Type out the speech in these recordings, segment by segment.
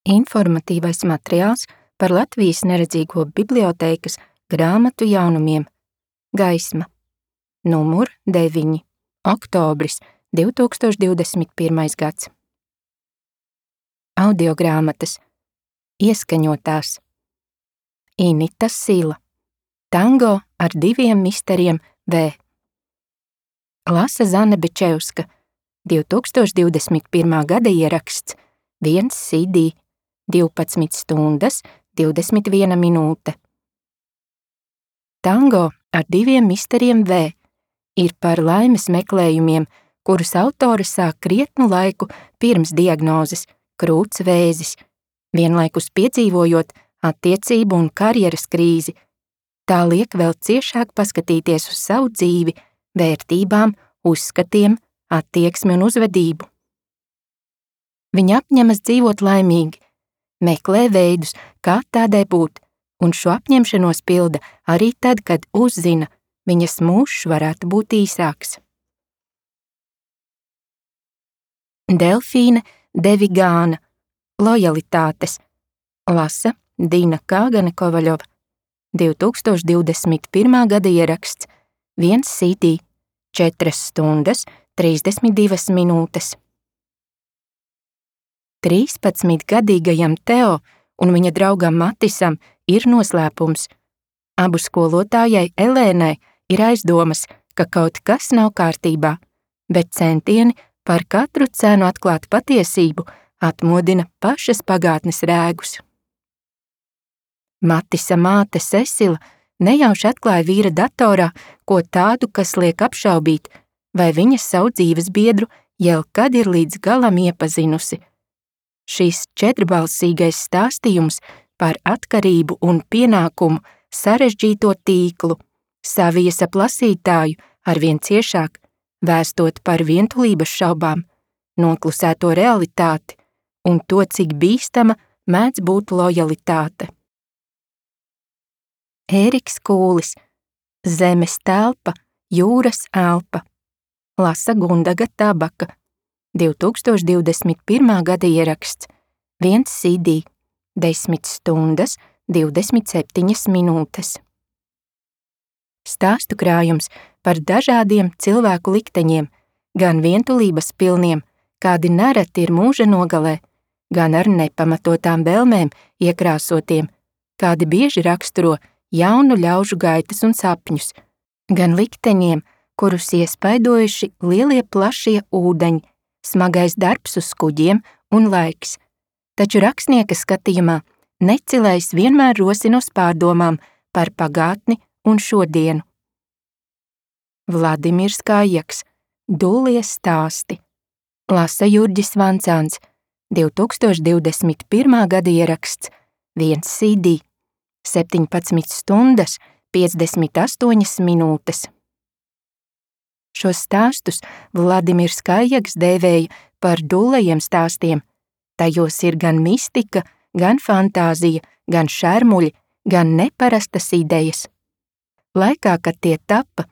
Informatīvais materiāls par Latvijas neredzīgo bibliotēkas grāmatu jaunumiem. Gaisma. Numur 9. Oktobris 2021. gads. Audiogrāmatas. Ieskaņotās. Inita Sila. Tango ar 2 misteriem V. Lasa Zane Bečevska. 2021. gada ieraksts. 1 CD. 12 stundas, 21 minūte. Tango ar 2 misteriem V ir par laimes meklējumiem, kurus autore sāk krietnu laiku pirms diagnozes – krūts vēzis, vienlaikus piedzīvojot attiecību un karjeras krīzi. Tā liek vēl ciešāk paskatīties uz savu dzīvi, vērtībām, uzskatiem, attieksmi un uzvedību. Viņa apņemas dzīvot laimīgi, meklē veidus, kā tādai būt, un šo apņemšanos pilda arī tad, kad uzzina, viņas mūžs varētu būt īsāks. Delfīne de Vigāna. Lojalitātes. Lasa Dina Kāgane Kovaļova. 2021. gada ieraksts. 1 CD. 4 stundas, 32 minūtes. 13-gadīgajam Teo un viņa draugam Matisam ir noslēpums. Abu skolotājai Elēnai ir aizdomas, ka kaut kas nav kārtībā, bet centieni par katru cenu atklāt patiesību atmodina pašas pagātnes rēgus. Matisa māte Cecila nejauši atklāja vīra datorā ko tādu, kas liek apšaubīt, vai viņa savu dzīvesbiedru jau kad ir līdz galam iepazinusi. Šis 4-balsīgais stāstījums par atkarību un pienākumu sarežģīto tīklu saviesa lasītāju arvien ciešāk, vēstot par vientulības šaubām, noklusēto realitāti un to, cik bīstama mēdz būt lojalitāte. Ēriks Kūlis. Zemes telpa, jūras elpa. Lasa Gundaga Tabaka. 2021. gada ieraksts. 1 CD. 10 stundas, 27 minūtes. Stāstu krājums par dažādiem cilvēku likteņiem, gan vientulības pilniem, kādi nereti ir mūža nogalē, gan ar nepamatotām vēlmēm iekrāsotiem, kādi bieži raksturo jaunu ļaužu gaitas un sapņus, gan likteņiem, kurus iespaidojuši lielie plašie ūdeņi, smagais darbs uz kuģiem un laiks, taču rakstnieka skatījumā necilais vienmēr rosina uz pārdomām par pagātni un šodienu. Vladimirs Kājaks. Dullie stāsti. Lasa Jurģis Vancāns. 2021. gada ieraksts. 1 CD. 17 stundas, 58 minūtes. Šos stāstus Vladimirs Kājaks dēvēja par dullajiem stāstiem. Tajos ir gan mistika, gan fantāzija, gan šermuļi, gan neparastas idejas. Laikā, kad tie tapa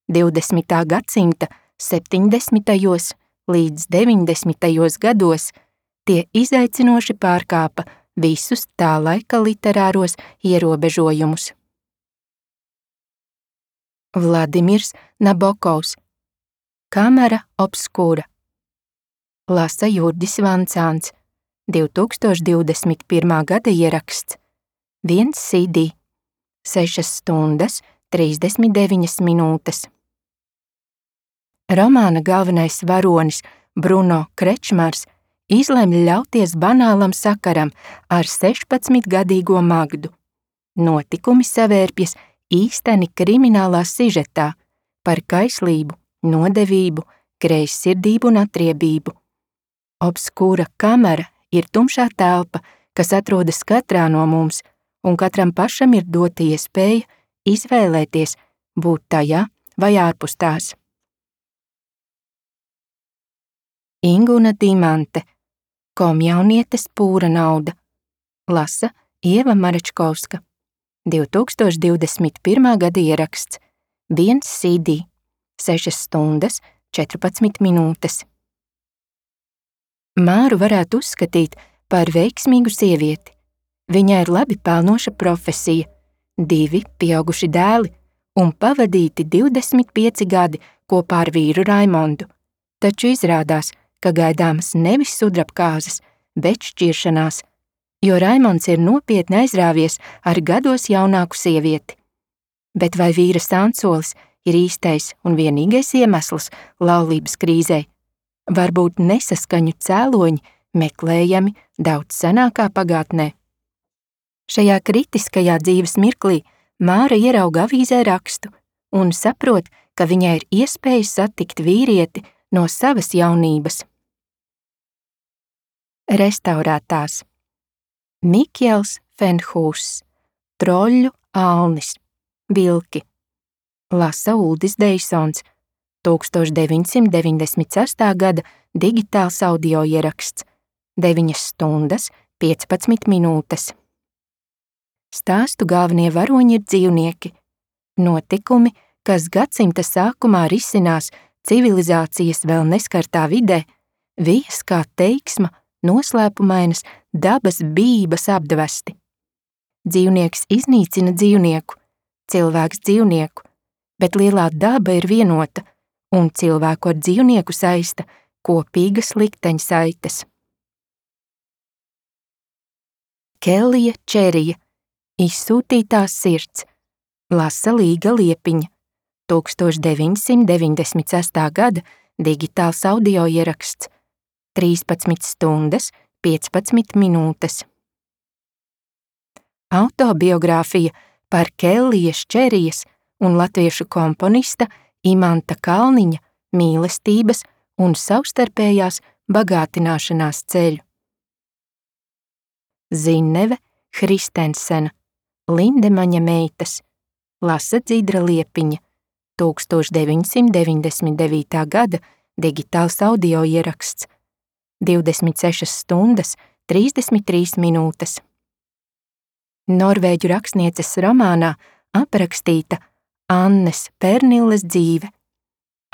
20. gadsimta 70. līdz 90. gados, tie izaicinoši pārkāpa visus tā laika literāros ierobežojumus. Vladimirs Nabokovs. Kamera obskura. Lasa Jurģis Vancāns. 2021. gada ieraksts. 1 CD. 6 stundas, 39 minūtes. Romāna galvenais varonis Bruno Krečmars izlemj ļauties banālam sakaram ar 16-gadīgo Magdu. Notikumi savērpjas īsteni kriminālā sižetā par kaislību, nodevību, greizsirdību un atriebību. Obskūra kamera ir tumšā telpa, kas atrodas katrā no mums, un katram pašam ir dota iespēja izvēlēties būt tajā vai ārpus tās. Inguna Dimante. Komjaunietes pūra nauda. Lasa Ieva Marečkovska. 2021. gada ieraksts. 1 CD. 6 stundas, 14 minūtes. Māru varētu uzskatīt par veiksmīgu sievieti. Viņai ir labi pelnoša profesija, 2 pieauguši dēli un pavadīti 25 gadi kopā ar vīru Raimondu. Taču izrādās, ka gaidāmas nevis sudrabkāzes, bet šķiršanās, jo Raimonds ir nopietni aizrāvies ar gados jaunāku sievieti. Bet vai vīra Sansolis ir īstais un vienīgais iemesls laulības krīzei? Varbūt nesaskaņu cēloņi meklējami daudz senākā pagātnē. Šajā kritiskajā dzīves mirklī Māra ierauga avīzē rakstu un saprot, ka viņai ir iespēja satikt vīrieti no savas jaunības. Restaurētās. Mikjels Fenhūss, Troļļu Alnis, Vilki. Lasa Uldis Deisons, 1998. gada digitāls audio ieraksts, 9 stundas, 15 minūtes. Stāstu galvenie varoņi ir dzīvnieki. Notikumi, kas gadsimta sākumā risinās civilizācijas vēl neskartā vidē, vijas kā teiksma, noslēpumainas dabas bības apdvesti. Dzīvnieks iznīcina dzīvnieku, cilvēks dzīvnieku, bet lielā daba ir vienota, un cilvēku ar dzīvnieku saista kopīgas likteņsaites. Kellija Čerija, Izsūtītās sirds, lasa Līga Liepiņa, 1996. gada digitāls audio ieraksts, 13 stundas, 15 minūtes. Autobiogrāfija par Kellijas Čerijas un latviešu komponista Imanta Kalniņa mīlestības un savstarpējās bagātināšanās ceļu. Zinneve Hristensena, Lindemaņa meitas, lasa Dzidra Liepiņa, 1999. gada digitāls audio ieraksts, 26 stundas, 33 minūtes. Norvēģu rakstnieces romānā aprakstīta Annes Pernilles dzīve.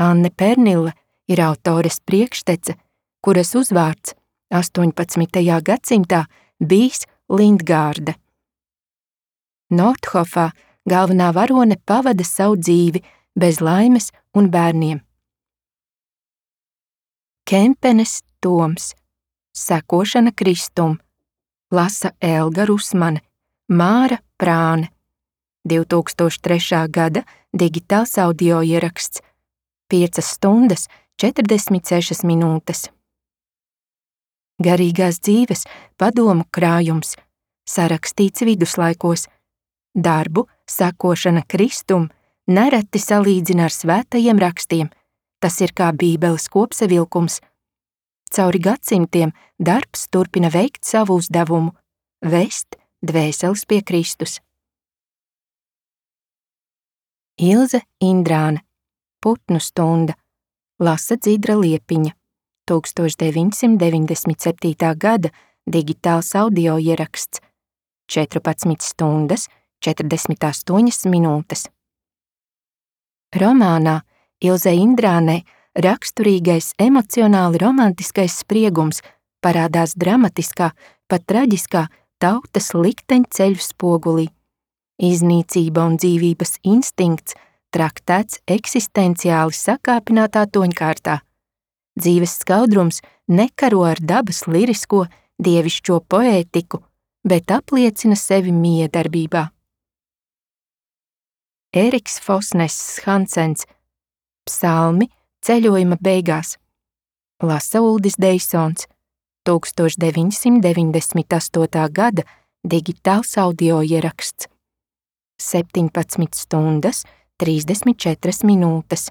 Anne Pernille ir autores priekštece, kuras uzvārds 18. gadsimtā bijis Lindgārde. Nordhofā galvenā varone pavada savu dzīvi bez laimes un bērniem. Kempenes Toms, Sekošana Kristum, lasa Elga Rusmane, Māra Prāne, 2003. gada digitāls audio ieraksts, 5 stundas, 46 minūtes. Garīgās dzīves padomu krājums, sarakstīts viduslaikos. Darbu Sekošana Kristum nereti salīdzina ar svētajiem rakstiem, tas ir kā Bībeles kopsavilkums. Cauri gadsimtiem darbs turpina veikt savu uzdevumu – vest dvēseles pie Kristus. Ilze Indrāne, Putnu stunda, lasa Dzidra Liepiņa, 1997. gada digitāls audio ieraksts, 14 stundas, 48 minūtes. Romānā Ilze Indrānei raksturīgais emocionāli romantiskais spriegums parādās dramatiskā, pat traģiskā tautas likteņceļu spogulī. Iznīcība un dzīvības instinkts traktēts eksistenciāli sakāpinātā toņkārtā. Dzīves skaudrums nekaro ar dabas lirisko, dievišķo poētiku, bet apliecina sevi miedarbībā. Eriks Fosness Hansens, Psalmi ceļojuma beigās, lasa Uldis Deisons, 1998. gada digitāls audio ieraksts, 17 stundas, 34 minūtes.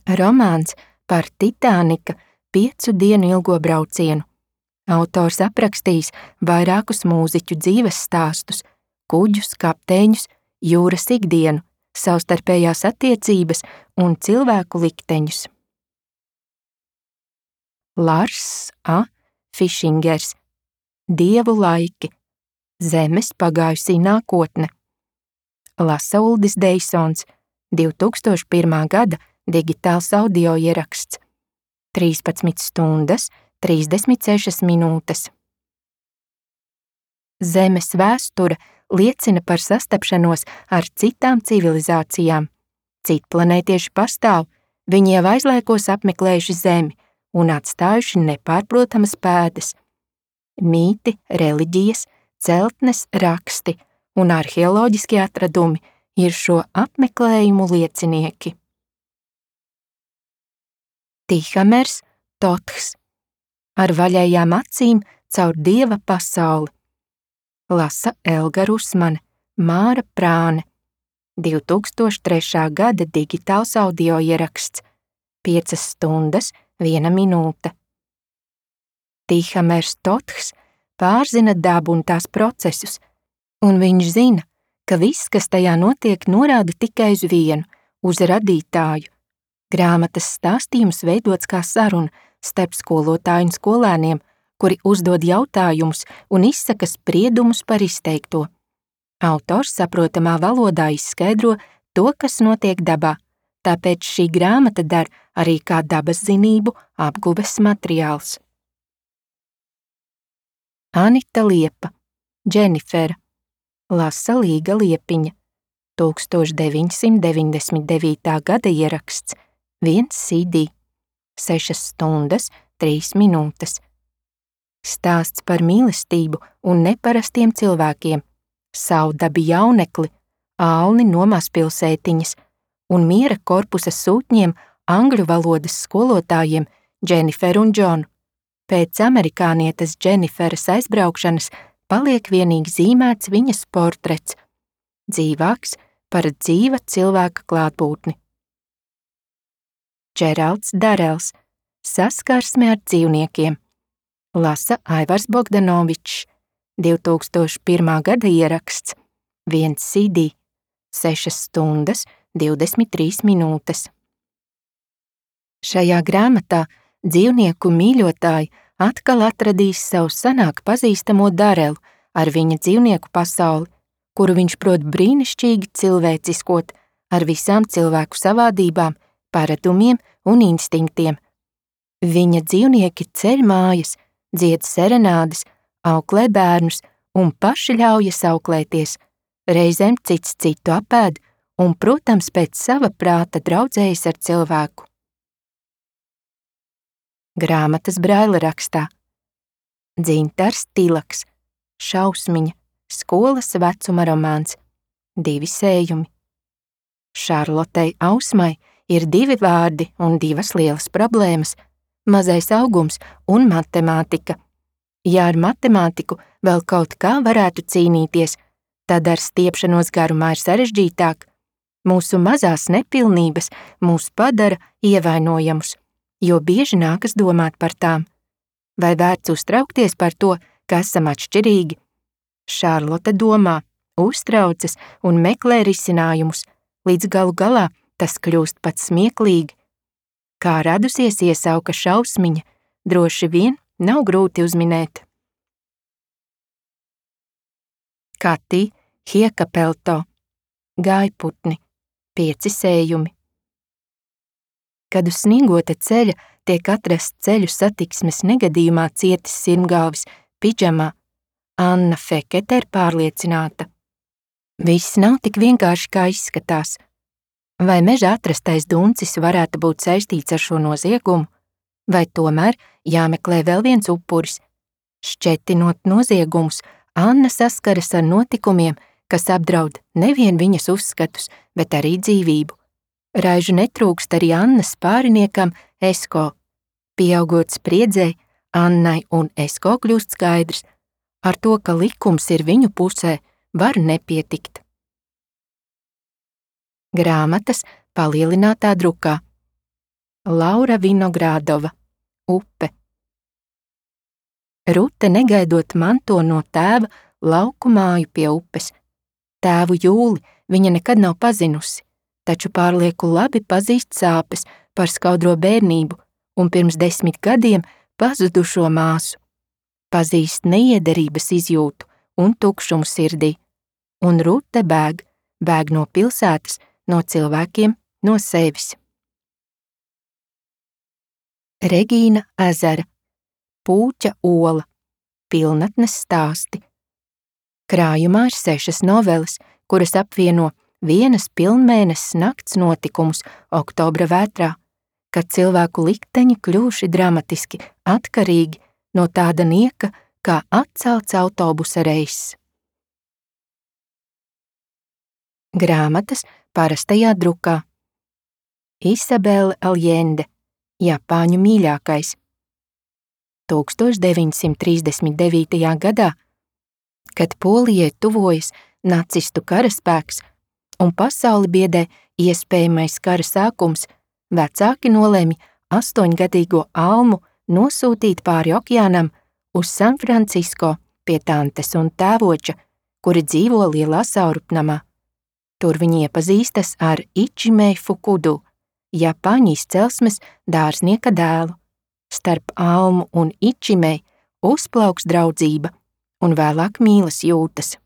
Romāns par Titānika 5 dienu ilgo braucienu. Autors aprakstījis vairākus mūziķu dzīves stāstus, kuģus, kapteiņus, jūras ikdienu, savstarpējās attiecības un cilvēku likteņus. Lars A. Fišingers, Dievu laiki, Zemes pagājusī nākotne, lasa Uldis Deisons, 2001. gada digitāls audio ieraksts, 13 stundas, 36 minūtes. Zemes vēsture liecina par sastapšanos ar citām civilizācijām. Citplanētieši pastāv, viņi jau aizlaikos apmeklējuši Zemi un atstājuši nepārprotamas pēdas. Mīti, reliģijas, celtnes, raksti un arheoloģiskie atradumi ir šo apmeklējumu liecinieki. Tihamers, Toths, ar vaļējām acīm caur dieva pasauli. Lasa Elga Rusmane, Māra Prāne, 2003. gada digitāls audio ieraksts, 5 stundas, 1 minūte. Tihamers Toths pārzina dabu un tās procesus, un viņš zina, ka viss, kas tajā notiek, norāda tikai uz vienu, uz radītāju. Grāmatas stāstījums veidots kā saruna starp skolotāju un skolēniem, kuri uzdod jautājumus un izsaka spriedumus par izteikto. Autors saprotamā valodā izskaidro to, kas notiek dabā, tāpēc šī grāmata der arī kā dabas zinību apguves materiāls. Anita Liepa, Dženifera, Lasa Līga Liepiņa, 1999. gada ieraksts, 1 CD, 6 stundas, 3 minūtes. Stāsts par mīlestību un neparastiem cilvēkiem, Saudabi jaunekli, Alni no mazpilsētiņas un miera korpusa sūtņiem angļu valodas skolotājiem Dženiferu un Džonu. Pēc amerikānietes Dženiferas aizbraukšanas paliek vienīgi zīmēts viņas portrets, dzīvāks par dzīva cilvēka klātbūtni. Džeralds Darels, Saskarsme ar dzīvniekiem, lasa Aivars Bogdanovičs, 2001. gada ieraksts, 1 CD, 6 stundas, 23 minūtes. Šajā grāmatā dzīvnieku mīļotāji atkal atradīs savu senāk pazīstamo Darelu ar viņa dzīvnieku pasauli, kuru viņš prot brīnišķīgi cilvēciskot ar visām cilvēku savādībām, paradumiem un instinktiem. Viņa dzīvnieki ceļ mājas, dzied serenādes, auklē bērnus un paši ļaujas auklēties, reizēm cits citu apēd un, protams, pēc sava prāta draudzējas ar cilvēku. Grāmatas braila rakstā. Dzintars Tilaks, Šausmiņa, skolas vecuma romāns, 2 sējumi. Šarlotei Ausmai ir 2 vārdi un 2 lielas problēmas – mazais augums un matemātika. Ja ar matemātiku vēl kaut kā varētu cīnīties, tad ar stiepšanos garumā ir sarežģītāk. Mūsu mazās nepilnības mūs padara ievainojamus, jo bieži nākas domāt par tām. Vai vērts uztraukties par to, ka esam atšķirīgi? Šarlote domā, uztraucas un meklē risinājumus, līdz galu galā tas kļūst pat smieklīgi. Kā radusies iesauka Šausmiņa, droši vien nav grūti uzminēt. Kati Hiekapelto, Gājputni, 5 sējumi. Kad uz sniegota ceļa tiek atrasts ceļu satiksmes negadījumā cietis sirmgalvis pidžamā, Anna Fekete ir pārliecināta. Viss nav tik vienkārši, kā izskatās. Vai mežā atrastais duncis varētu būt saistīts ar šo noziegumu? Vai tomēr jāmeklē vēl viens upuris? Šķetinot noziegumus, Anna saskaras ar notikumiem, kas apdraud nevien viņas uzskatus, bet arī dzīvību. Raižu netrūkst arī Annas pāriniekam Esko. Pieaugot spriedzei, Annai un Esko kļūst skaidrs, ar to, ka likums ir viņu pusē, var nepietikt. Grāmatas palielinātā drukā. Laura Vinogrādova, Upe. Rute negaidot manto no tēva lauku māju pie upes. Tēvu Jūli viņa nekad nav pazinusi, taču pārlieku labi pazīst sāpes par skaudro bērnību un pirms 10 gadiem pazudušo māsu. Pazīst neiederības izjūtu un tukšumu sirdī, un Rute bēg no pilsētas, no cilvēkiem, no sevis. Regīna Ezera, Pūķa ola, pilnatnes stāsti. Krājumā ir 6 noveles, kuras apvieno vienas pilnmēneses nakts notikumus oktobra vētrā, kad cilvēku likteņi kļuvuši dramatiski atkarīgi no tāda nieka kā atcelts autobusa reiss. Grāmatas parastajā drukā. Isabelle Allende, Japāņu mīļākais. 1939. gadā, kad Polijai tuvojas nacistu karaspēks un pasauli biedē iespējamais kara sākums, vecāki nolēma 8-gadīgo Almu nosūtīt pāri okeānam uz San Francisco pie tantes un tēvoča, kuri dzīvo lielā saurupnamā. Tur viņi iepazīstas ar Ichimei Fukudu, Japāņu izcelsmes dārznieka dēlu. Starp Almu un Ichimei uzplauks draudzība un vēlāk mīlas jūtas.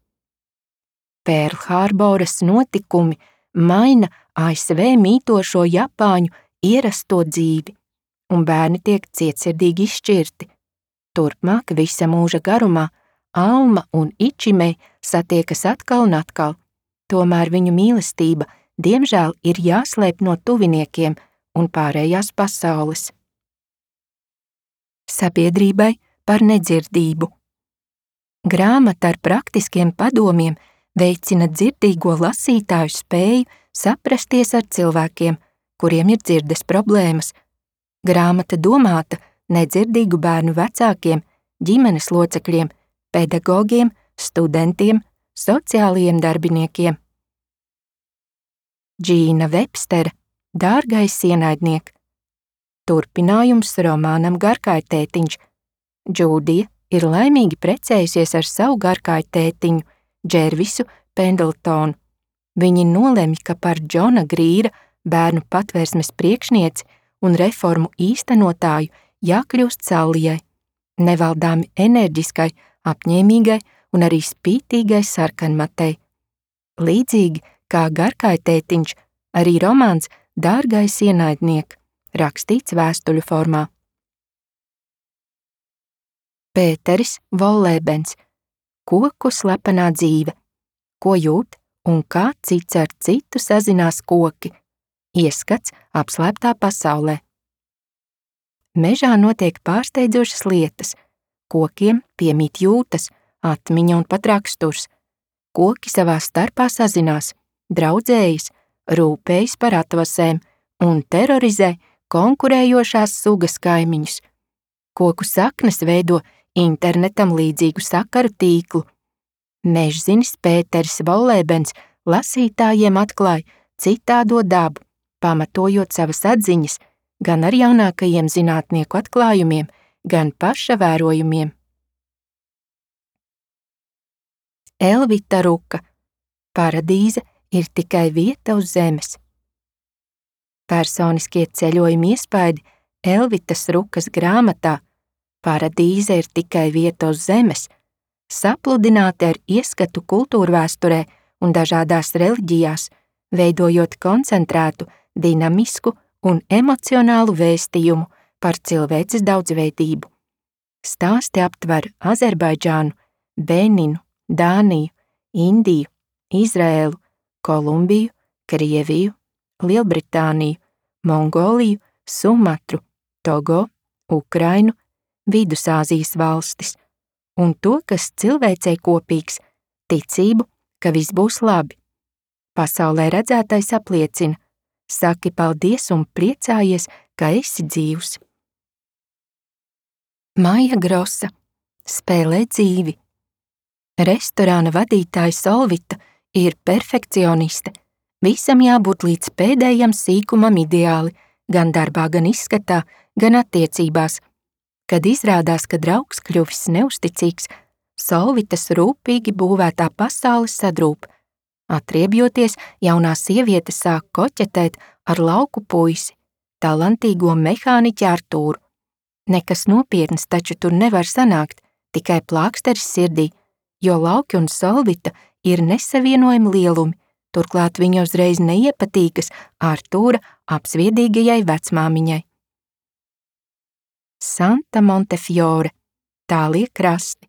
Pērlhārboras notikumi maina ASV mītošo Japāņu ierasto dzīvi, un bērni tiek cietsirdīgi izšķirti. Turpmāk visa mūža garumā Alma un Ichimei satiekas atkal un atkal, tomēr viņu mīlestība diemžēl ir jāslēp no tuviniekiem un pārējās pasaules. Sabiedrībai par nedzirdību. Grāmata ar praktiskiem padomiem veicina dzirdīgo lasītāju spēju saprasties ar cilvēkiem, kuriem ir dzirdes problēmas. Grāmata domāta nedzirdīgu bērnu vecākiem, ģimenes locekļiem, pedagogiem, studentiem, sociālajiem darbiniekiem. Džīna Vebstera, Dārgais ienaidniek. Turpinājums romānam Garkājtētiņš. Džūdija ir laimīgi precējusies ar savu garkājtētiņu, Džervisu Pendletonu. Viņi nolemj, ka par Džona Grīra, bērnu patvērsmes priekšnieci un reformu īstenotāju jākļūst Sallijai, nevaldāmi enerģiskai, apņēmīgai un arī spītīgai sarkanmatei. Līdzīgi kā Garkājtētiņš, arī romāns Dārgais ienaidniek, rakstīts vēstuļu formā. Pēteris Vollēbens, Koku slepenā dzīve, ko jūt un kā cits ar citu sazinās koki, ieskats apslēptā pasaulē. Mežā notiek pārsteidzošas lietas, kokiem piemīt jūtas, atmiņa un pat raksturs. Koki savā starpā sazinās, draudzējas, rūpējas par atvasēm un terorizē konkurējošās sugas kaimiņus. Koku saknes veido internetam līdzīgu sakaru tīklu. Mežzinis Pēteris Vollēbens lasītājiem atklāja citādo dabu, pamatojot savas atziņas gan ar jaunākajiem zinātnieku atklājumiem, gan paša vērojumiem. Elvita Ruka, Paradīze ir tikai vieta uz zemes. Personiskie ceļojumi iespaidi Elvitas Rukas grāmatā Paradīze ir tikai vieta uz zemes, sapludināti ar ieskatu kultūrvēsturē un dažādās reliģijās, veidojot koncentrētu, dinamisku un emocionālu vēstījumu par cilvēces daudzveidību. Stāsti aptver Azerbaidžānu, Beninu, Dāniju, Indiju, Izraēlu, Kolumbiju, Krieviju, Lielbritāniju, Mongoliju, Sumatru, Togo, Ukrainu, Vidusāzijas valstis, un to, kas cilvēcei kopīgs, ticību, ka viss būs labi. Pasaulē redzētais apliecina, saki paldies un priecājies, ka esi dzīvs. Maija Grosa, Spēlē dzīvi. Restorāna vadītāja Solvita ir perfekcioniste. Visam jābūt līdz pēdējam sīkumam ideāli, gan darbā, gan izskatā, gan attiecībās. Kad izrādās, ka draugs kļuvis neusticīgs, Solvitas rūpīgi būvētā pasaule sadrūp. Atriebjoties, jaunā sieviete sāk koķetēt ar lauku puisi, talantīgo mehāniķi Artūru. Nekas nopietns taču tur nevar sanākt, tikai plāksteris sirdī, jo Lauki un Solvita ir nesavienojami lielumi, turklāt viņa uzreiz neiepatīkas Artūra apsviedīgajai vecmāmiņai. Santa Montefiore, Tālie krasti.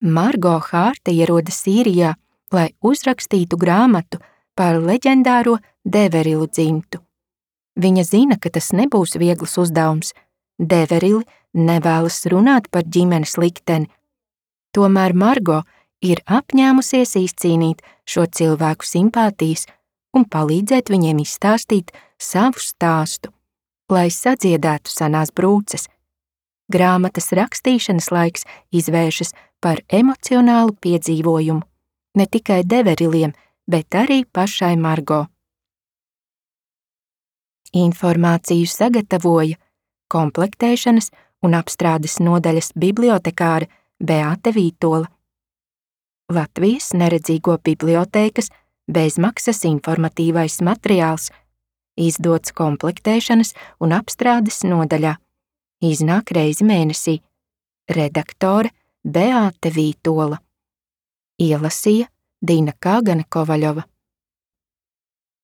Margo Hārte ierodas Sīrijā, lai uzrakstītu grāmatu par leģendāro Deverilu dzimtu. Viņa zina, ka tas nebūs viegls uzdevums. Deverili nevēlas runāt par ģimenes likteni. Tomēr Margo ir apņēmusies izcīnīt šo cilvēku simpātijas un palīdzēt viņiem izstāstīt savu stāstu, lai sadziedētu senās brūces. Grāmatas rakstīšanas laiks izvēršas par emocionālu piedzīvojumu, ne tikai Deveriliem, bet arī pašai Margo. Informāciju sagatavoja komplektēšanas un apstrādes nodaļas bibliotekāre Beāte Vītola. Latvijas neredzīgo bibliotēkas bezmaksas informatīvais materiāls, izdots komplektēšanas un apstrādes nodaļā. Iznāk reizi mēnesī. Redaktore Beāte Vītola. Ielasīja Dina Kāgane Kovaļova.